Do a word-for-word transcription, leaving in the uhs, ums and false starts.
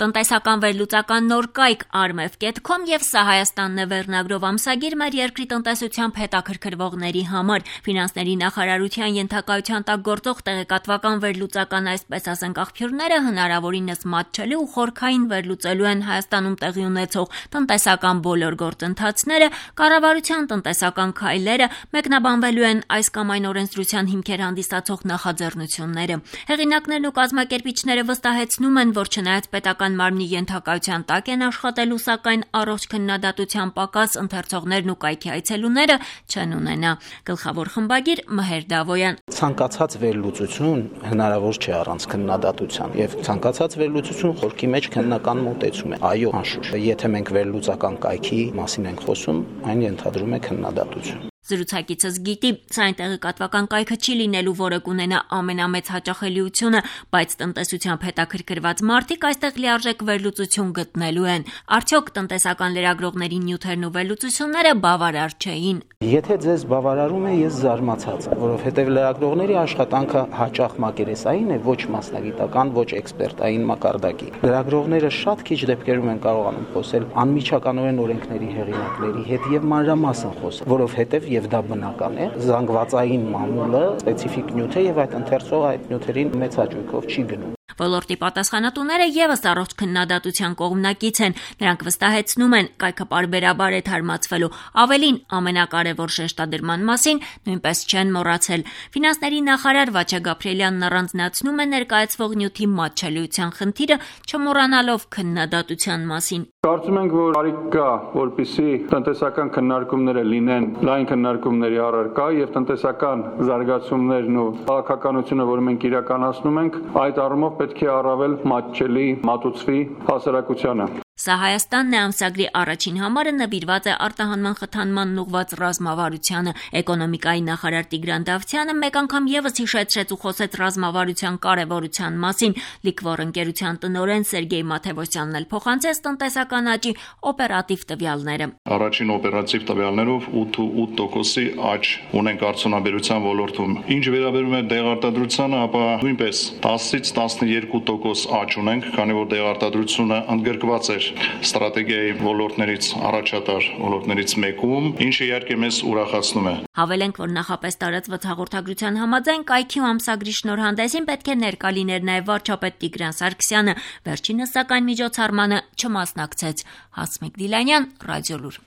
Տնտեսական վերլուծական նոր կայք Armev dot com եւ Սա Հայաստանն է վերնագրով ամսագիր մեր երկրի տնտեսությամբ հետաքրքրվողների համար։ Ֆինանսների նախարարության ենթակայության տակ գործող տեղեկատվական վերլուծական այսպես ասենք աղբյուրները հնարավորինս մատչելի ու խորքային վերլուծելու են Հայաստանում տեղի ունեցող տնտեսական բոլոր գործընթացները, կառավարության տնտեսական քայլերը, մեկնաբանվելու են այս կամ այն օրենսդրության հիմքեր հանդիսացող նախաձեռնությունները։ Հեղինակներն ու կազմակերպիչները վստահեցնում են, որ չնայած պետական մարմնի ենթակայության տակ են աշխատելու, սակայն առողջ քննադատության պակաս ընթերցողներն ու կայքի այցելուները չեն ունենա։ Գլխավոր խմբագիր Մհեր Դավոյան. Ցանկացած վերլուծություն հնարավոր չէ առանց քննադատության, եւ ցանկացած վերլուծություն խորքի մեջ քննական մոտեցում է։ Այո, անշուշտ, եթե մենք վերլուծական կայքի մասին ենք խոսում, այն ենթադրում է քննադատություն։ Զրուցակիցս գիտի, սա այն տեղեկատվական կայքը չի լինելու, որը կունենա ամենամեծ հաճախելիությունը, բայց տնտեսությամբ հետաքրքրված մարդիկ այստեղ լիարժեք վերլուծություն գտնելու են։ Արդյոք տնտեսական լրագրողների նյութերն ու վերլուծությունները բավարար չէին։ Եթե ձեզ բավարարում է, ես զարմացած, որովհետև լրագրողների աշխատանքը հաճախ մակերեսային է, ոչ մասնագիտական, ոչ էքսպերտային մակարդակի։ Լրագրողները շատ քիչ դեպքերում են կարողանում խոսել անմիջականորեն օրենքների հեղինակների հետ եւ մանրամասն խոսել, որովհետև եւ դա բնական է, զանգվածային մամուլը սպეციფიկ նյութ է եւ այդ ընթերցողը այդ նյութերին մեծ հաճույքով չի գնում։ Ոլորտի պատասխանատուները եւս առողջ քննադատության կողմնակից են։ Նրանք վստահեցնում են, կայքը պարբերաբար է թարմացվելու։ Ավելին, ամենակարևոր շեշտադրման մասին նույնպես չեն մոռացել։ Ֆինանսների նախարար Վաչե Գաբրիելյանն առանձնացնում է ներկայացվող նյութի մատչելիության խնդիրը, չմոռանալով քննադատության մասին։ Կարծում ենք, որ կարիք կա, որպեսզի տնտեսական քննարկումները լինեն լայն քննարկումների առարկա եւ տնտեսական զարգացումներն ու քաղաքականությունը, որը մենք իրականացնում ենք, այդ առումով պետք է առավել մատչելի մատուցվի հասարակությանը։ Սա Հայաստանն է ամսագրի առաջին համարը նվիրված է արտահանման խթանմանն ուղղված ռազմավարությանը։ Էկոնոմիկայի նախարար Տիգրան Դավթյանը մեկ անգամ եւս հիշեցրեց ու խոսեց ռազմավարության կարեւորության մասին։ Լիկվոր ընկերության տնօրեն Սերգեյ Մաթևոսյանն էլ փոխանցեց տնտեսական աճի օպերատիվ տվյալները։ Առաջին օպերատիվ տվյալներով ութ տոկոսի աճ ունենք արդյունաբերության ոլորտում։ Ինչ վերաբերում է դեղարտադրությանը, ապա նույնպես տասից տասնյոթ տոկոս աճ ունենք, քանի որ դեղարտադրությունը ընդգրկված է ստրատեգիայի ոլորտներից առաջատար ոլորտներից մեկում, ինչը իհարկե մեզ ուրախացնում է։ Հավելենք, որ նախապես տարածված հաղորդագրության համաձայն կայքի ու ամսագրի շնորհանդեսին պետք է ներկա լիներ նաև վարչապետ Տիգրան Սարգսյանը, վերջինս սակայն միջոցառմանը չմասնակցեց։ Հասմիկ Դիլանյան, Ռադիոլուր։